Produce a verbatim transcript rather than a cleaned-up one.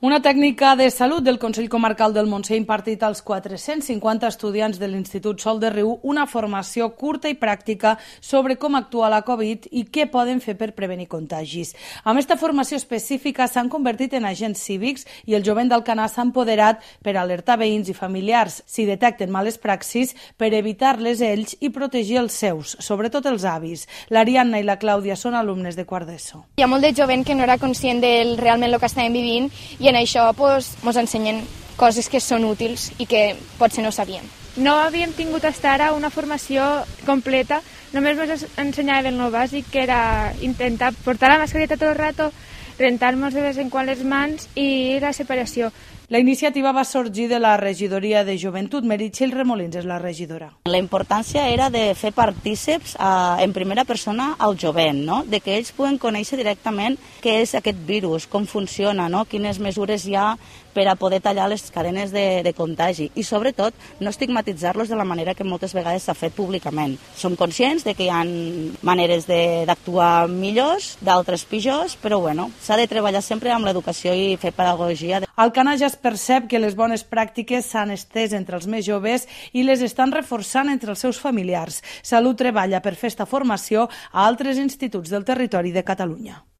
Una tècnica de salut del Consell Comarcal del Montseny ha impartit als quatre-cents cinquanta estudiants de l'Institut Sol de Riu una formació curta i pràctica sobre com actuar a la Covid i què poden fer per prevenir contagis. Amb aquesta formació específica s'han convertit en agents cívics i el jovent d'Alcanar s'ha empoderat per alertar veïns i familiars si detecten males praxis per evitar-les ells i protegir els seus, sobretot els avis. L'Ariadna i la Clàudia són alumnes de quart d'ESO. Hi ha molt de jovent que no era conscient del realment el que estàvem vivint i en això ens pues, ensenyen coses que són útils i que potser no sabíem. No havíem tingut fins ara una formació completa, només ens ensenyaven el bàsic, que era intentar portar la mascareta tot el rato, rentar-nos de vez en quan les mans i la separació. La iniciativa va sorgir de la regidoria de joventut. Meritxell Remolins és la regidora. La importància era de fer partíceps eh, en primera persona al jovent, no? De que ells puguen conèixer directament què és aquest virus, com funciona, no? Quines mesures hi ha per a poder tallar les cadenes de, de contagi i, sobretot, no estigmatitzar-los de la manera que moltes vegades s'ha fet públicament. Som conscients de que hi ha maneres d'actuar millors, d'altres pitjors, però bueno, s'ha de treballar sempre amb l'educació i fer pedagogia. Alcanar ja es percep que les bones pràctiques s'han estès entre els més joves i les estan reforçant entre els seus familiars. Salut treballa per fer esta formació a altres instituts del territori de Catalunya.